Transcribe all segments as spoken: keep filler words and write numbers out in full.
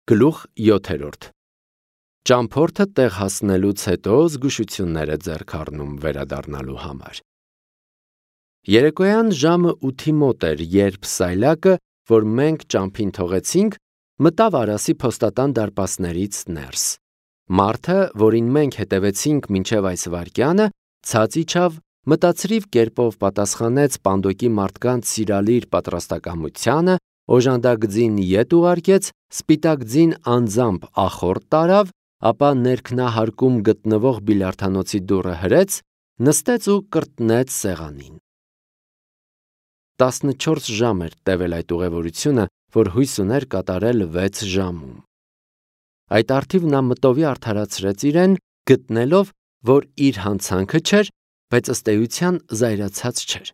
Գլուխ յոթերորդ Ճամփորդը տեղ հասնելուց հետո զգուշություններ է ձեռք առնում վերադառնալու համար։ Երեկոյան ժամը ութի մոտ էր, երբ Սայլակը, որ մենք ճամփին թողեցինք, մտավ Արասի փոստատան դարպասներից ներս։ Մարդը, որին մենք հետևեցինք մինչև այս վայրկյանը, ցած իջավ, մտածրիվ կերպով պատասխանեց Պանդոկի մարդկանց սիրալիր պատրաստակամությանը, օժանդակ ձին ետ ուղարկեց, սպիտակ ձին անձամբ ախորդ տարավ, ապա ներքնահարկում գտնվող բիլիարդանոցի դուռը հրեց, նստեց ու կրտնեց սեղանին։ տասնչորս ժամ էր տևել այդ ուղևորությունը, որ հույս ուներ կատարել վեց ժամում։ Այդ առթիվ նա մտովի արդարացրեց իրեն, գտնելով, որ իր հանցանքը չէր, բայց ըստ էության զայրացած չէր։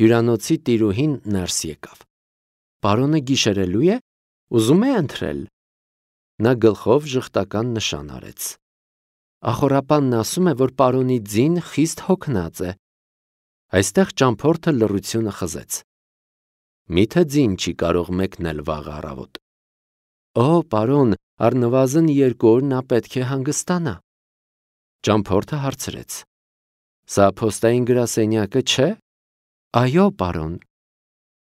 Հյուրանոցի տիրուհին ներս եկավ։ Պարոնը գիշերելու է, ուզում է ընթրել։ Նա գլխով ժխտական նշան արեց։ Ախորապանն ասում է, որ պարոնի ձին խիստ հոգնած է։ Այստեղ ճամփորդը լռությունը խզեց։ Միթե ձին չի կարող մեկնել վաղ առավոտ։ Օ, պարոն, առնվազն երկու օր նա պետք է հանգստանա։ Ճամփորդը հարցրեց. Սա փոստային գրասենյակը չէ։ Այո, պարոն։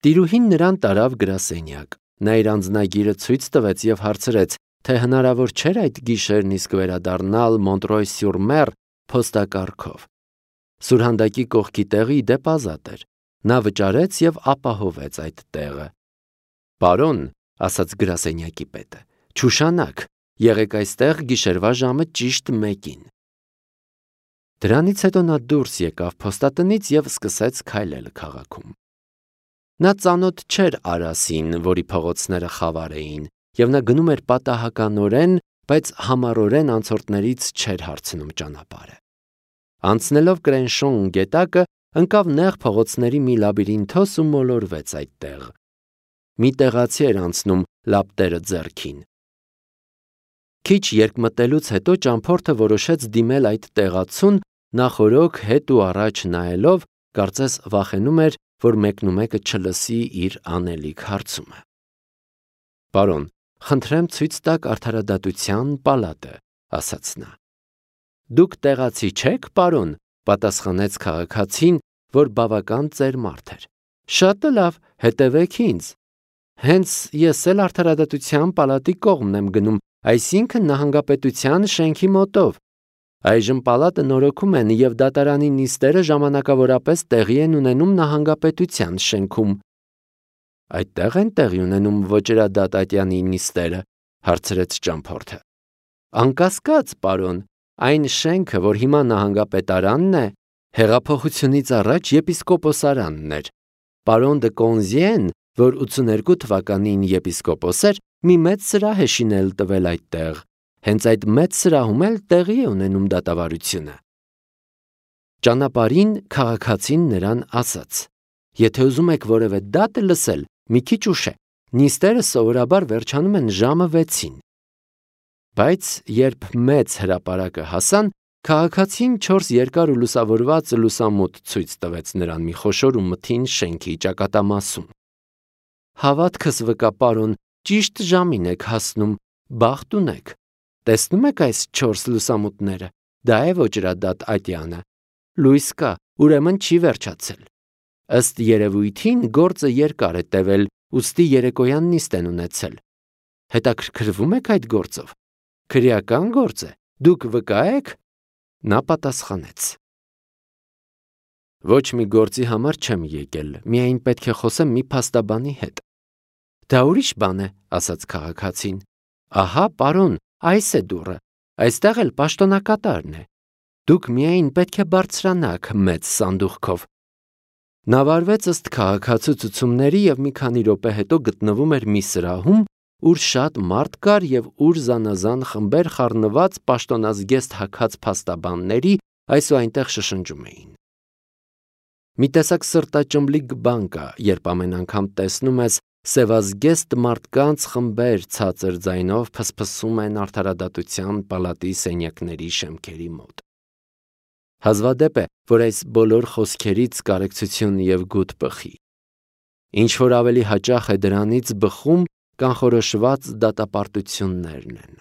Տիրուհին նրան տարավ գրասենյակ։ Նա իր անձնագիրը ցույց տվեց եւ հարցրեց, թե հնարավոր չէր այդ գիշերն իսկ վերադառնալ Մոնտրոյ-սյուր-Մեր փոստակառքով։ Սուրհանդակի կողքի տեղը ի դեպ ազատ էր։ Նա վճարեց եւ ապահովեց այդ տեղը։ Պարոն, ասաց գրասենյակի պետը, չուշանաք, եղեք այստեղ գիշերվա ժամը ճիշտ մեկին։ Դրանից հետո նա դուրս եկավ փոստատնից եւ սկսեց քայլել քաղաքում։ Նա ծանոթ չէր Արասին, որի փողոցները խավար էին, եւ նա գնում էր պատահականորեն, բայց համառորեն անցորդներից չէր հարցնում ճանապարհը։ Անցնելով Կրենշոն գետակը, ընկավ նեղ փողոցների մի լաբիրինթոս ու մոլորվեց այդտեղ։ Մի տեղացի էր անցնում լապտերը ձեռքին։ Քիչ երկմտելուց հետո ճամփորդը որոշեց դիմել այդ տեղացուն, նախորոք հետ ու առաջ նայելով, կարծես վախենում էր, որ մեկնումեկը չլսի իր անելիք հարցումը։ Պարոն, խնդրեմ ցույց տաք արդարադատության պալատը, ասաց նա։ Դուք տեղացի չեք, պարոն, պատասխանեց քաղաքացին, որ բավական ծեր մարդ էր։ Շատ լավ, հետևեք ինձ։ Հենց ես էլ արդարադատության պալատի կողմն եմ գնում, այսինքն նահանգապետության շենքի մոտով։ Այժմ պալատը նորոգում են եւ դատարանի նիստերը ժամանակավորապես տեղի են ունենում նահանգապետության շենքում։ Այդտեղ են տեղի ունենում ոճրադատ Ատյանի նիստերը, հարցրեց ճամփորդը։ Անկասկած, պարոն, այն շենքը, որ հիմա նահանգապետարանն է, հեղափոխությունից առաջ եպիսկոպոսարանն էր։ Պարոն դը Կոնզիեն, որ ութսուներկու թվականին եպիսկոպոս էր, մի մեծ սրահ է շինել տվել այդտեղ։ Հենց այդ մեծ սրահում էլ տեղի է ունենում դատավարությունը։ Ճանապարհին քաղաքացին նրան ասաց. Եթե ուզում եք որևէ դատ լսել, մի քիչ ուշ է։ Նիստերը սովորաբար վերջանում են ժամը վեցին։ Բայց երբ մեծ հրապարակը հասան, քաղաքացին չորս երկար ու լուսավորված լուսամուտ ցույց տվեց նրան մի խոշոր ու մթին շենքի ճակատամասում։ Հավատքս վկա, պարոն, ճիշտ ժամին եք հասնում, բախտ ունեք։ Տեսնում եք այս չորս լուսամուտները, դա է ոճրադատ Ատյանը։ Լույս կա, ուրեմն չի վերջացել։ Ըստ երևույթին գործը երկար է տևել, ուստի երեկոյան նիստ են ունեցել։ Հետաքրքրվում եք այդ գործով։ Քրեական գործ է, դուք վկա եք։ Նա պատասխանեց. Ոչ մի գործի համար չեմ եկել, միայն պետք է խոսեմ մի փաստաբանի հետ։ Դա ուրիշ բան է, ասաց քաղաքացին։ Ահա, պարոն, այս է դուռը, այստեղ էլ պաշտոնակատարն է։ Դուք միայն պետք է բարձրանաք մեծ սանդուղքով։ Նա վարվեց ըստ քաղաքացու ցուցումների եւ մի քանի րոպե հետո գտնվում էր մի սրահում, ուր շատ մարդ կար եւ ուր զանազան խմբեր խառնված պաշտոնազգեստ հագած փաստաբանների այսուայնտեղ շշնջում էին։ Մի տեսակ սրտաճմլիկ բան կա, երբ ամեն անգամ տեսնում ես սևազգեստ մարդկանց խմբեր ցածր ձայնով փսփսում են արդարադատության պալատի սենյակների շեմքերի մոտ։ Հազվադեպ է, որ այս բոլոր խոսքերից կարեկցություն եւ գութ բխի։ Ինչ որ ավելի հաճախ է դրանից բխում, կանխորոշված դատապարտություններն են։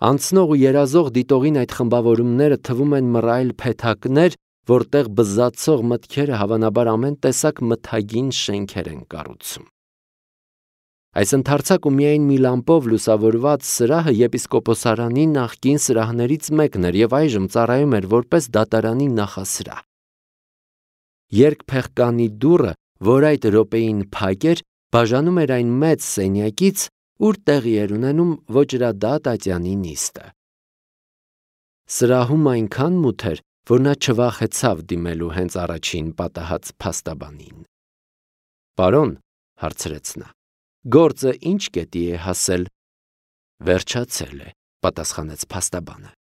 Անցնող ու երազող դիտողին այդ խմբավորումները թվում են մռայլ փեթակներ, որտեղ բզացող մտքերը հավանաբար ամեն տեսակ մթագին շենքեր են կառուցում։ Այս ընդարձակ ու միայն մի լամպով լուսավորված սրահը եպիսկոպոսարանի նախկին սրահներից մեկն էր և այժմ ծառայում էր որպես դատարանի նախասրահ։ Երկփեղկանի դուռը, որ այդ րոպեին փակ էր, բաժանում էր այն մեծ սենյակից, ուր տեղի էր ունենում ոճրադատ ատյանի նիստը։ Սրահում այնքան մութ էր, որ նա չվախեցավ դիմելու հենց առաջին պատահած փաստաբանին։ «Պարոն», հարցրեց նա, «գործը ինչ կետի է հասել»։ «Վերջացել է», պատասխանեց փաստաբանը։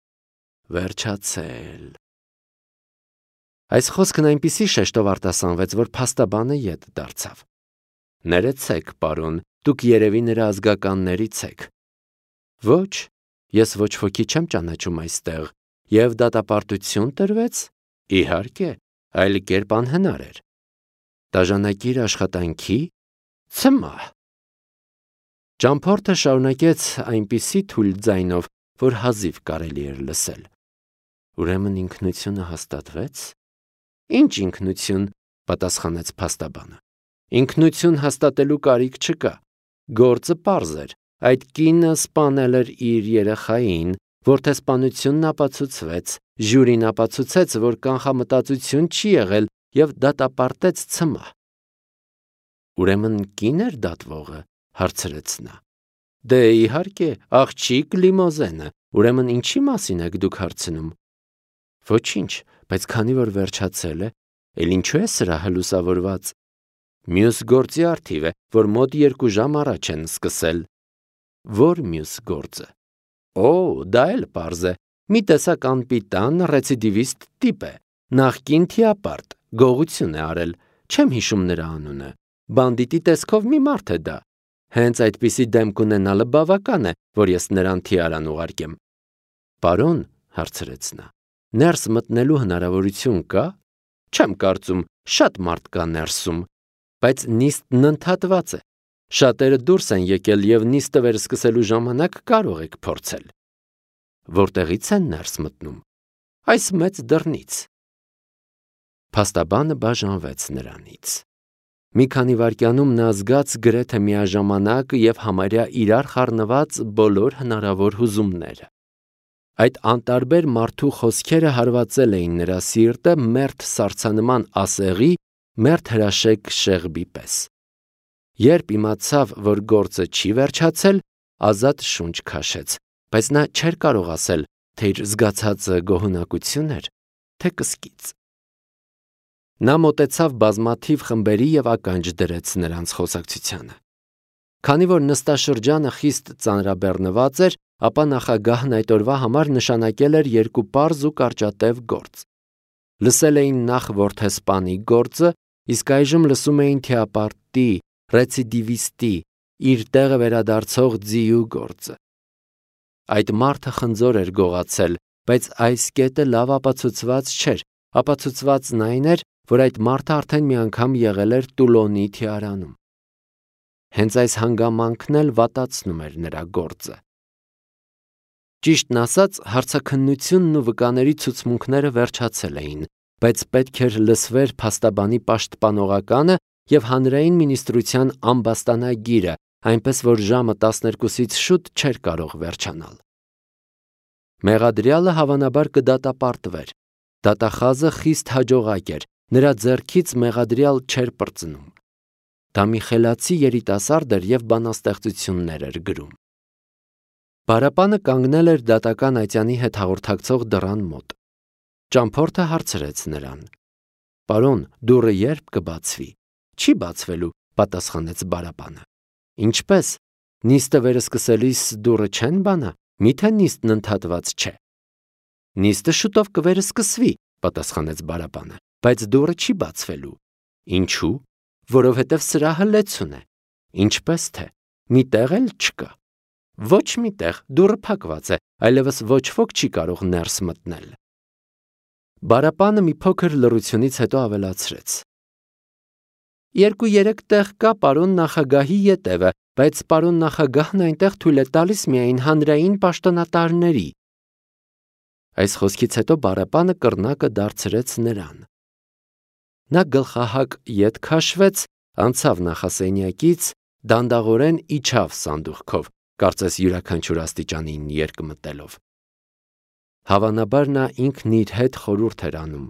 «Վերջացել»։ Այս խոսքն այնպիսի շեշտով արտասանվեց, որ փաստաբանը ետ դարձավ։ «Ներեցեք, պարոն, դուք երևի նրա ազգականներից եք»։ «Ոչ, ես ոչ ոքի չեմ ճանաչում այստեղ, և դատապարտություն տրվեց»։ «Իհարկե, այլ կերպ անհնար էր»։ «Դաժանակիր աշխատանքի»։ «Ցմահ»։ Ճամփորդը շարունակեց այնպիսի թույլ ձայնով, որ հազիվ կարելի էր լսել։ «Ուրեմն ինքնությունը հաստատվեց»։ «Ինչ ինքնություն», պատասխանեց փաստաբանը։ «Ինքնություն հաստատելու կարիք չկա։ Գործը պարզ էր, այդ կինը սպանել էր իր երեխային, որդեսպանությունն ապացուցվեց, ժյուրին ապացուցեց, որ կանխամտածություն չի եղել և դատապարտեց ցմահ»։ «Ուրեմն կին էր դատվողը», հարցրեց նա։ «Դե իհարկե, աղջիկ Լիմոզենը, ուրեմն ինչի մասին եք դուք հարցնում»։ «Ոչինչ, բայց քանի որ վերջացել է, էլ ինչու է սրահը լուսավորված»։ «Մյուս գործի առթիվ է, որ մոտ երկու ժամ առաջ են սկսել»։ «Ո՞ր մյուս գործը»։ «Օ, դա էլ պարզ է, մի տեսակ անպիտան ռեցիդիվիստ տիպ է, նախկին թիապարտ, գողություն է արել, չեմ հիշում նրա անունը, բանդիտի տեսքով մի մարդ է դա։ Հենց այդպիսի դեմք ունենալը բավական է, որ ես նրան թիարան ուղարկեմ»։ «Պարոն», հարցրեց նա, «ներս մտնելու հնարավորություն կա»։ «Չեմ կարծում, շատ մարդ կա ներսում, բայց նիստն ընդհատված է։ Շատերը դուրս են եկել և նիստը վերսկսելու ժամանակ կարող եք փորձել»։ «Որտեղից են ներս մտնում»։ «Այս մեծ դռնից»։ Փաստաբանը բաժանվեց նրանից։ Մի քանի վայրկյանում նա զգաց գրեթե միաժամանակ և համարյա իրար խառնված բոլոր հնարավոր հուզումները։ Այդ անտարբեր մարդու խոսքերը հարվածել էին նրա սիրտը մերթ սառցանման ասեղի, մերթ հրաշեկ շեղբի պես։ Երբ իմացավ, որ գործը չի վերջացել, ազատ շունչ քաշեց, բայց նա չէր կարող ասել, թե իր զգացածը գոհունակություն էր, թե կսկիծ։ Նա մոտեցավ բազմաթիվ խմբերի և ականջ դրեց նրանց խոսակցությանը։ Քանի որ նստաշրջանը խիստ ծանրաբեռնված էր, ապա նախագահն այդ օրվա համար նշանակել էր երկու պարզ ու կարճատև գործ։ Լսել էին նախ որդեսպանի գործը, իսկ այժմ լսում էին թիապարտի, ռեցիդիվիստի, իր տեղը վերադարձող ձիու գործը։ Այդ մարդը խնձոր էր գողացել, բայց այս կետը լավ ապացուցված չէր, ապացուցվածն այն էր, որ այդ մարդը արդեն մի անգամ եղել էր Տուլոնի թիարանում։ Հենց այս հանգամանքն էլ վատացնում էր նրա գործը։ Ճիշտն ասած, հարցաքննությունն ու վկաների ցուցմունքները վերջացել էին, բայց պետք էր լսվեր փաստաբանի պաշտպանողականը և հանրային մինիստրության ամբաստանագիրը, այնպես որ ժամը տասներկուսից շուտ չէր կարող վերջանալ։ Մեղադրյալը հավանաբար կդատապարտվեր։ Դատախազը խիստ հաջողակ էր, նրա ձեռքից մեղադրյալ չէր պրծնում։ Դա մի խելացի երիտասարդ էր և բանաստեղծություններ էր գրում։ Բարապանը կանգնել էր դատական ատյանի հետ հաղորդակցող դռան մոտ։ Ճամփորդը հարցրեց նրան. «Պարոն, դուռը երբ կբացվի»։ «Չի բացվելու», պատասխանեց Բարապանը։ «Ինչպես, նիստը վերսկսելիս դուռը չեն բանա, միթե նիստն ընդհատված չէ»։ «Նիստը շուտով կվերսկսվի», պատասխանեց Բարապանը, «բայց դուռը չի բացվելու»։ «Ինչու»։ «Որովհետև սրահը լեցուն է»։ «Ինչպես թե, մի տեղ էլ չկա»։ «Ոչ մի տեղ, դուռը փակված է, այլևս ոչ ոք չի կարող ներս մտնել»։ Բարապանը մի փոքր լռությունից հետո ավելացրեց. «Երկու-երեք տեղ կա պարոն նախագահի ետևը, բայց պարոն նախագահն այնտեղ թույլ է տալիս միայն հանրային պաշտոնատարների։ Այս խոսքից հետո Բարապանը կռնակը դարձրեց նրան։ Նա գլխահակ ետ քաշվեց, անցավ նախասենյակից, դանդաղորեն իջավ սանդուղքով, կարծես յուրաքանչյուր աստիճանին երկմտելով։ Հավանաբար նա ինքն իր հետ խորհուրդ էր անում։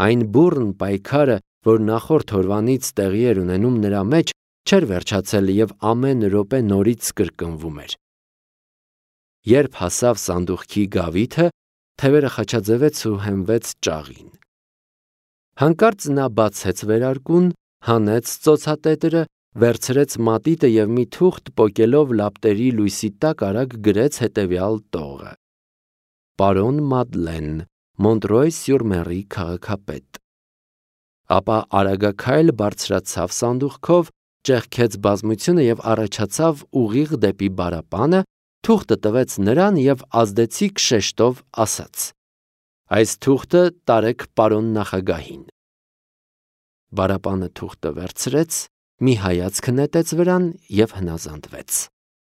Այն բուռն պայքարը, որ նախորդ օրվանից տեղի էր ունենում նրա մեջ, չէր վերջացել և ամեն րոպե նորից կրկնվում էր։ Երբ հասավ սանդուղքի գավիթը, թևերը խաչաձևեց ու հենվեց ճաղին։ Հանկարծ նա բացեց վերարկուն, հանեց ծոցատետրը, վերցրեց մատիտը և մի թուղթ պոկելով լապտերի լույսի տակ արագ գրեց հետևյալ տողը. Պարոն Մադլեն, Մոնտրոյ-սյուր-Մերի քաղաքապետ։ Ապա արագաքայլ բարձրացավ սանդուղքով, ճեղքեց բազմությունը և առաջացավ ուղիղ դեպի Բարապանը, թուղթը տվեց նրան և ազդեցիկ շեշտով ասաց. Այս թուղթը տարեք պարոն նախագահին։ Բարապանը թուղթը վերցրեց, մի հայացք նետեց վրան և հնազանդվեց։